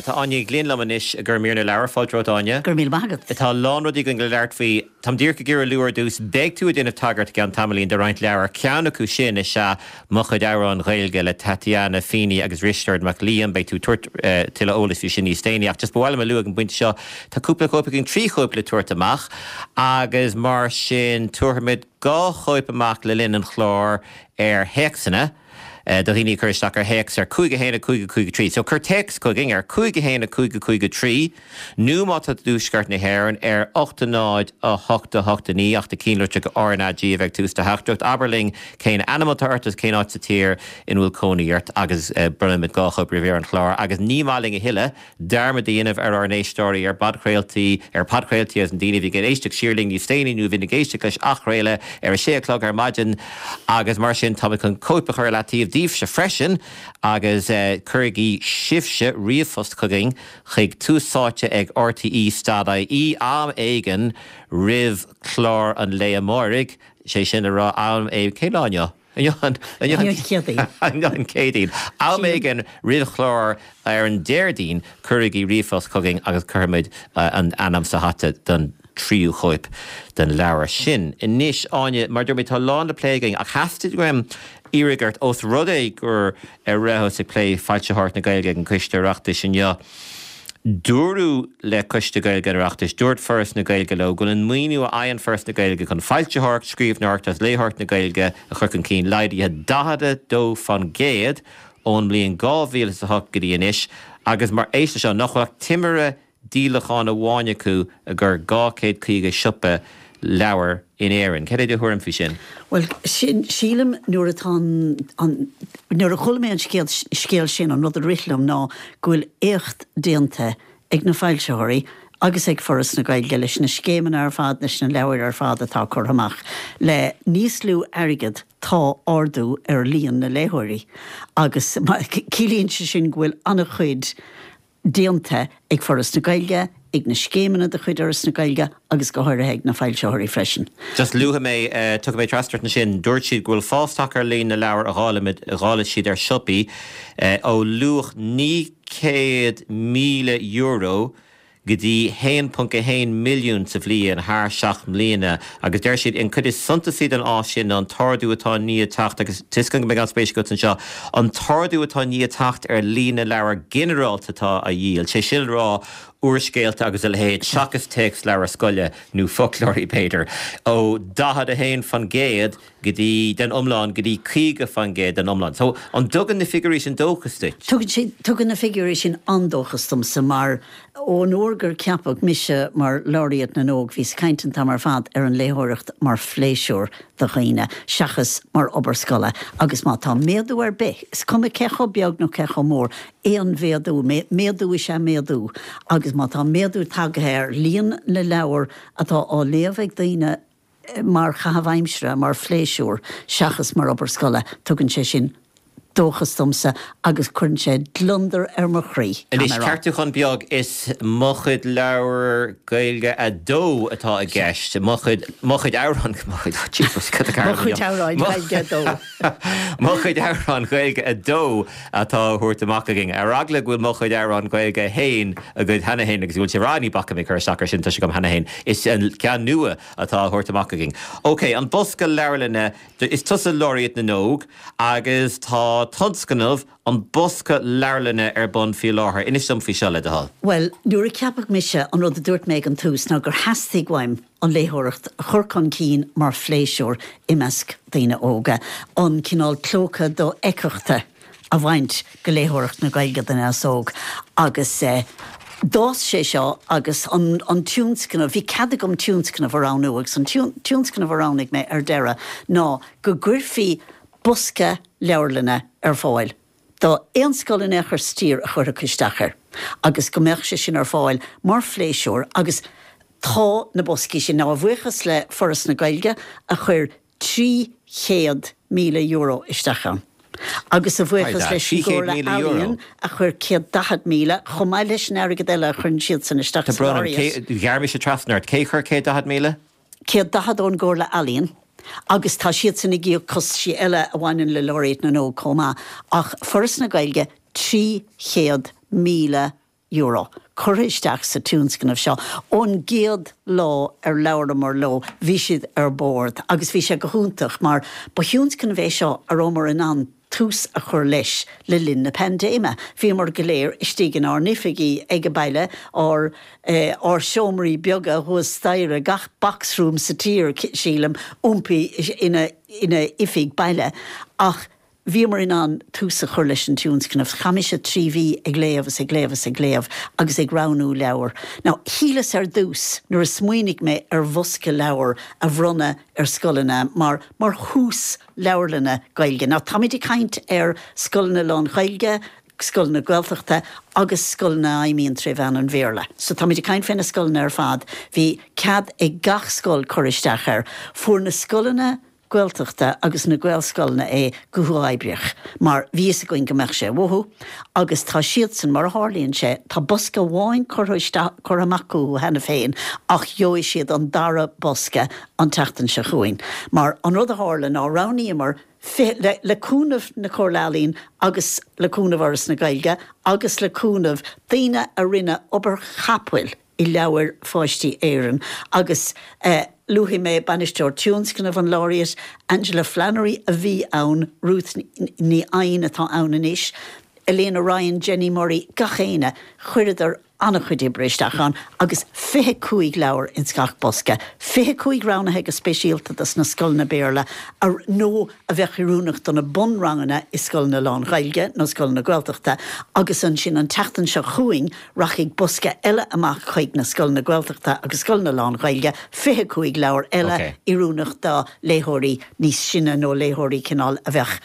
Tá Áine Glinn liom anois gur mír na leabhar fáilte romhat Áine. Gur mí magat. Tá lán rudaí againn le labhairt faoi Táim díreach ag iarraidh lua ar dtús beidh tú ag déanamh tagairt gan tamaillín do roinnt leabhar ceann acu sin is ea Mo Chuid Amhrán Gaeilge le Tatiana Feeney agus Risteard Mac Liam beidh tú ag tabhairt tuilleadh eolais faoi sin níos déanaí ach just ba mhaith liom a lua ag an bpointe seo Tá cúpla cóip againn trí chóip le tabhairt amach agus mar sin tabharfaimid dhá chóip amach le linn an chláir ar théacsanna. do dhaoine chur isteach ar théacs ar cúig a haon a cúig a cúig a trí. So cuir téacs chugainn ar cúig a haon a cúig a cúig a trí, nó má tá i dtuaisceart na hÉireann ar ocht a náid a hocht a hocht a naoi ach do chinnlitreach RnaG a bheidh tús do theachtaireacht. Abair linn cén ainm atá ort agus cén áit sa tír ina bhfuil cónaí ort agus bronnfaimid dhá chóip roimh an chlár agus ní maith linn a thuilleadh dearmad a dhéanamh ar ár n-éisteoirí ar bpodchraoltaí ar podchraoltaí agus na daoine a bhí ag éisteacht siar linn níos déanaí nó a bhíonn ag éisteacht leis athchraoladh ar a sé a chlog ar maidin agus mar sin táimid chun cóip a chur ar leataobh daoibhse freisin agus uh, cuirigí sibhse ríomhphost chugainn chuig túsáite ag RTE stad.ie am éigin roimh chlár an lae amárach sé sin a rá am é cén lá inniu? An Céadaoin. Am éigin roimh chlár ar an Déardaoin cuirigí ríomhphost chugainn agus cuirfimid an ainm sa hata don tríú chóip den leabhar sin. Anois Áine mar dúirt mé tá lán le plé againn ach theastaigh uaim iarraidh ort ós rud é gur ar rabhthas ag plé foilsitheoireacht na Gaeilge ag an Coiste Oireachtais inniu. Dúradh le Coiste Gaeilge an Oireachtais, dúirt Foras na Gaeilge leo go bhfuil an maoiniú a fhaigheann Foras na Gaeilge chun foilsitheoireacht, scríbhneoireacht agus léitheoireacht na Gaeilge a chur chun cinn laghdaithe daichead a dó faoin gcéad ón mbliain dhá mhíle is a hocht go dtí anois agus mar éist seo nach bhfuil ach timire díolachán amháin acu i gcur dhá chéad caoga siopa leabhar in Éirinn. Cad é do thuairim faoi sin? Bhuel, sin, sílim nuair atá an, nuair a chuala mé an scéal, scéal sin, an rud a rith liom ná go bhfuil éacht déanta ag na foilsitheoirí agus ag Foras na Gaeilge leis na scéimeanna ar fad, leis na leabhair ar fad atá curtha amach. Le níos lú airgead tá ardú ar líon na léitheoirí agus ciallaíonn sé sin go bhfuil an-chuid déanta ag Foras na Gaeilge, ag na scéimeanna de chuid Fhoras na Gaeilge agus go háirithe ag na foilsitheoirí freisin. Just luafaidh mé, tiocfaidh mé trasna ort ansin, dúirt siad go bhfuil fás tagtha ar líon na leabhar a dháileann siad ar siopaí ó luach naoi chéad míle euro go dtí haon ponc a haon milliún sa bhliain thar seacht mbliana agus deir siad an chuid is suntasaí den fhás sin ná an t-ardú atá i ndiaidh teacht agus tá a fhios agam go mbeidh an-spéis agat anseo, an t-ardú atá i ndiaidh teacht ar líon na leabhar ginearálta atá á dhíol, sé sin le rá úrscéalta agus a leithéid seachas téacsleabhair scoile nó foclóirí b'fhéidir, ó daichead a haon faoin gcéad go dtí den iomlán go dtí caoga faoin gcéad den iomlán. So, an dtugann na figiúirí sin dóchas duit? Tugann sé, tugann na figiúirí sin an-dóchas domsa mar ón uair gur ceapadh mise mar Laureate na nÓg bhíos ag caint an t-am ar fad ar an léitheoireacht mar phléisiúr do dhaoine seachas mar obair scoile agus má tá méadú ar bith, is cuma cé chomh beag nó cé chomh mór, aon mhéadú, méadú is ea méadú agus má tá méadú tagtha ar líon na leabhar atá á léamh ag daoine mar chaitheamh aimsire, mar phléisiúr, seachas mar obair scoile, tugann sé sin dóchas domsa agus cuireann sé gliondar ar mo chroí, Anois, ceartúchán beag, is Mo Chuid Leabhar Gaeilge a dó atá i gceist, Mo Chuid, Mo Chuid Amhrán, Mo Chuid, Jesus, cad a Mo Chuid Amhráin Gaeilge a dó. Mo Chuid Amhrán Gaeilge a dó atá á thabhairt amach againn. Ar eagla go bhfuil Mo Chuid Amhrán Gaeilge a haon agaibh cheana féin agus go bhfuil sibh ag rá ní bhacfaidh mé cur isteach air sin, tá sé agam cheana féin, is an ceann nua atá á thabhairt amach againn. Ok, an bosca leabharlainne, is tusa Laureate na nÓg agus tá tionscnamh an Bosca Leabharlainne ar bun faoi láthair. Inis dom faoi seo, le do thoil. Bhuel, nuair a ceapadh mise, an rud a dúirt mé ag an tús ná gur theastaigh uaim an léitheoireacht a chur chun cinn mar phléisiúr i measc daoine óga, an cineál clóca dofheictheachta a bhaint de léitheoireacht na Gaeilge don aos óg agus d'fhás sé seo agus an an tionscnamh, bhí cead agam tionscnamh a roghnú agus an tionscnamh a roghnaigh mé ar deireadh ná go gcuirfí bosca leabharlainne ar fáil do aon scoil in aon chor sa tír a chuirfeadh isteach air agus go mbeadh sé sin ar fáil mar phléisiúr agus tá na boscaí sin, now a bhuíochas le Foras na Gaeilge a chuir trí chéad míle euro isteach ann agus a bhuíochas leis an gComhairle Ealaíon a chuir céad daichead míle, chomh maith leis an airgead eile a chuireann siadsan isteach Tá san brón orm, Laureate. ghearr mise trasna ort, cé chuir céad daichead míle? Céad daichead ón gComhairle Ealaíon agus tá siadsan ag íoc costaisí eile a bhaineann le Laureate na nÓg chomh maith, ach Foras na Gaeilge trí chéad míle euro curtha isteach sa tionscnamh seo. Ón gcéad lá ar labhramar leo bhí siad ar bord agus bhí sé go hiontach mar ba thionscnamh é seo a rabhamar in ann tús a chur leis le linn na paindéime. Bhíomar go léir istigh inár n-oifigí ag baile, ár ár seomraí beaga thuas staighre, gach box room sa tír, sílim, iompaithe ina ina oifig baile. Ach bhíomar in ann tús a chur leis an tionscnamh. Chaith mise trí mhí ag léamh is ag léamh is ag léamh agus ag roghnú leabhar. Now, shíleas ar dtús, nuair a smaoinigh mé ar bhosca leabhar a bhronnadh ar scoileanna mar mar thús leabharlainne Gaeilge. Now, táimid ag caint ar scoileanna lán-Ghaeilge, scoileanna Gaeltachta agus scoileanna a fheidhmíonn tré mheán an Bhéarla. So táimid ag caint fé na scoileanna ar fad. Bhí cead ag gach scoil cur isteach air. Fuair na scoileanna Gaeltachta agus na Gaelscoileanna é go huathoibríoch mar bhí fhios againn go mbeadh sé uathu agus tá siadsan, mar a tharlaíonn sé, tá bosca amháin curtha isteach, curtha amach acu cheana féin ach gheobhaidh siad an dara bosca an tseachtain seo chugainn mar an rud a tharla ná roghnaíomar fiche, le, le cúnamh na Comhairle Ealaíon agus le cúnamh Fhoras na Gaeilge agus le cúnamh daoine a rinne obair chapaill i Leabhair Pháistí Éireann agus luafaidh mé Bainisteoir Tionscnaimh an Laureate, Angela Flannery a bhí ann, Ruth Ní Eidhin atá ann anois, Elena Ryan, Jenny Murray, gach éinne, chuireadar an-chuid oibre isteach ann agus fiche cúig leabhar ins gach bosca, fiche cúig roghnaithe go speisialta dos na scoileanna Béarla nó a bheadh oiriúnach do na bunranganna i scoileanna lán-Ghaeilge nó scoileanna Gaeltachta agus ansin an tseachtain seo chugainn rachaidh bosca eile amach chuig na scoileanna Gaeltachta agus scoileanna lán-Ghaeilge, fiche cúig leabhar eile oiriúnach do léitheoirí níos sine nó léitheoirí cineál a bheadh,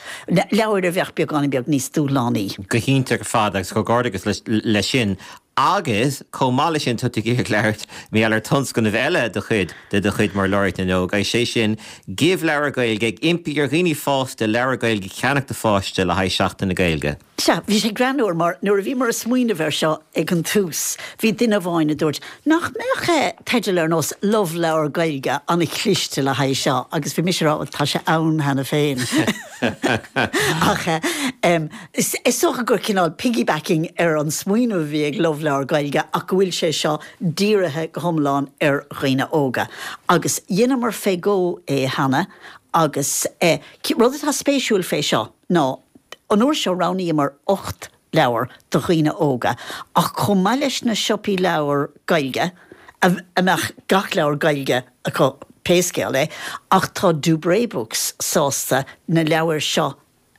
leabhair a bheadh beagáinín beag níos dúshlánaí. Go hiontach ar fad agus comhghairdeachas leis sin. Agus chomh maith leis sin tá tú ag labhairt mar gheall ar tionscnamh eile de chuid de do chuid mar Laureate na nÓg, is é sin Give Leabhar Gaeilge, ag impí ar dhaoine fásta leabhar Gaeilge a cheannach do pháiste le haghaidh Seachtain na Gaeilge. Sea, bhí sé greannmhar mar nuair a bhíomar ag smaoineamh air seo ag an tús, bhí duine amháin a dúirt nach mbeadh teideal ar nós Love Leabhar Gaeilge an-chliste le haghaidh seo agus bhí mise ag rá bhuel tá sé ann cheana féin. Ach is dócha gur cineál piggybacking ar an smaoineamh a bhí ag Love Leabhar Gaeilge ach go bhfuil sé seo dírithe go hiomlán ar dhaoine óga. Agus dheineamar fé dhó é cheana agus rud atá spéisiúil fé seo ná An uair seo roghnaíomar ocht leabhar do dhaoine óga, ach chomh maith leis na siopaí leabhar Gaeilge, a mbeadh gach leabhar Gaeilge acu pé scéal é, ach tá Dubray Books sásta na leabhair seo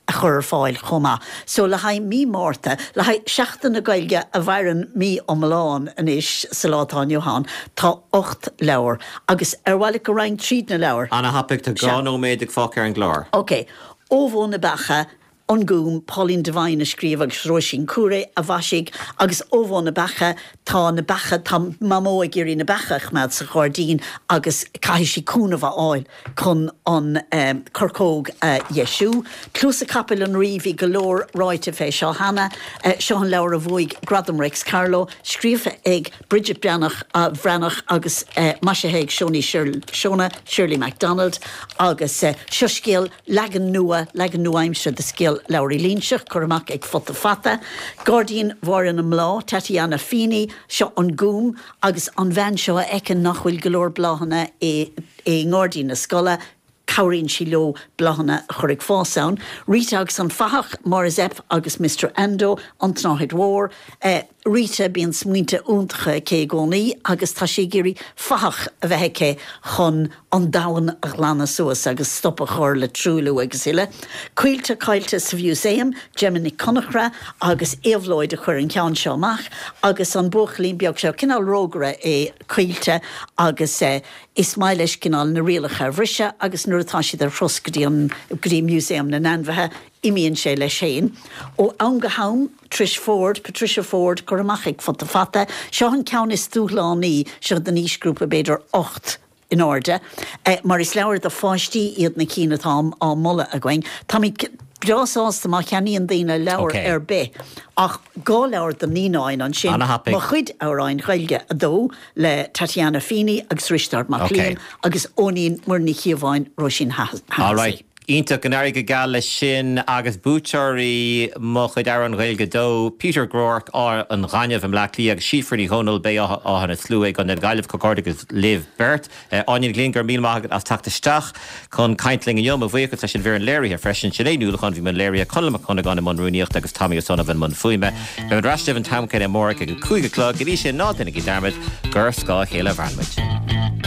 a chur ar fáil chomh maith. So le haghaidh mí Márta, le haghaidh Seachtain na Gaeilge a mhaireann mí iomlán anois sa lá atá inniu ann, tá ocht leabhar. Agus ar mhaith leat go raghainn tríd na leabhair? Ana-thapaidh, tá dhá nóiméad ag fágtha ar an gclár. Ok. Ó Bhó na Beacha, An Gúm, Pauline Devine a scríobh agus Róisín Cooray a mhaisigh agus Ó Bhó na Beacha, tá na beacha, tá Mamó ag iarraidh na beacha a choimeád sa ghairdín agus caithfidh sí cúnamh a fháil chun an chorcóg a dheisiú. Cluasa Capaill an Rí, bhí go leor ráite fé seo cheana. Seo an leabhar a bhuaigh Gradam Réics Carló, scríofa ag Bridget Breathnach, Bhreathnach agus maisithe ag Shona Shirley MacDonald agus seo scéal Leagan nua, leagan nua-aimseartha de scéal Labhraí Loingseach, curtha amach ag Futa Fata. Gairdín Bhaile na mBláth, Tatiana Feeney, seo An Gúm agus an bhean seo a fheiceann nach bhfuil go leor bláthanna i ngairdín na scoile, cabhraíonn sí leo bláthanna a chur ag fás ann. Rita agus an Fathach, Máire Zepf agus Mister Ando, An tSnáthaid Mhór. Rita, bíonn smaointe iontacha aici i gcónaí agus tá sí ag iarraidh fathach a bheith aici chun an domhan a ghlanadh suas agus stop a chur le truailliú agus uile. Caoilte Caillte sa Mhúsaem, Gemma Nic Conchra agus Éabhlóid a chuir an ceann seo amach agus an buachaillín beag seo, cineál rógaire é Caoilte agus is maith leis cineál na rialacha a bhriseadh agus nuair atá siad ar thuras go dtí an, go dtí Músaem na nAinmhithe, Imíonn sé leis féin. Ó am go ham, Trish Ford, Patricia Forde, curtha amach ag Futa Fata. Seo an ceann is dúshlánaí, seo don aoisghrúpa b'fhéidir ocht in airde, mar is leabhair do pháistí iad na cinn atá á moladh againn. Táimid breá sásta má cheannaíonn daoine leabhar ar bith, ach dhá leabhar do naíonáin ansin, Mo Chuid Amhráin Ghaeilge a dó le Tatiana Feeney agus Risteárd Mac Liam agus Eoinín Muireann Ní Chíobháin, Róisín Hahessy. Iontach, go n-éirí go geal leis sin agus buaiteoirí Mo Chuid Amhrán Gaeilge a dó, Peter Groarke, Áth an Ghainimh i mBleá Cliath agus Síofra Ní Dhomhnaill, Béal Átha na Slua i gContae na Gaillimhe. Comhghairdeachas libh beirt. Áine Ní Ghlinn, go raibh míle maith agat as teacht isteach chun caint linn inniu. Mo bhuíochas leis an bhfoireann léirithe freisin, Sinéad Ní Uallacháin a bhí i mbun léirithe, Conall Mac Cuinneagáin i mbun rúnaíochta agus Tommy Ó Sonnabhain i mbun fuaime. Beimid ar ais libh an t-am céanna amárach ag a cúig a chlog. Go dtí sin, ná déanaigí dearmad gur ar scáth a chéile a mhaireann muid.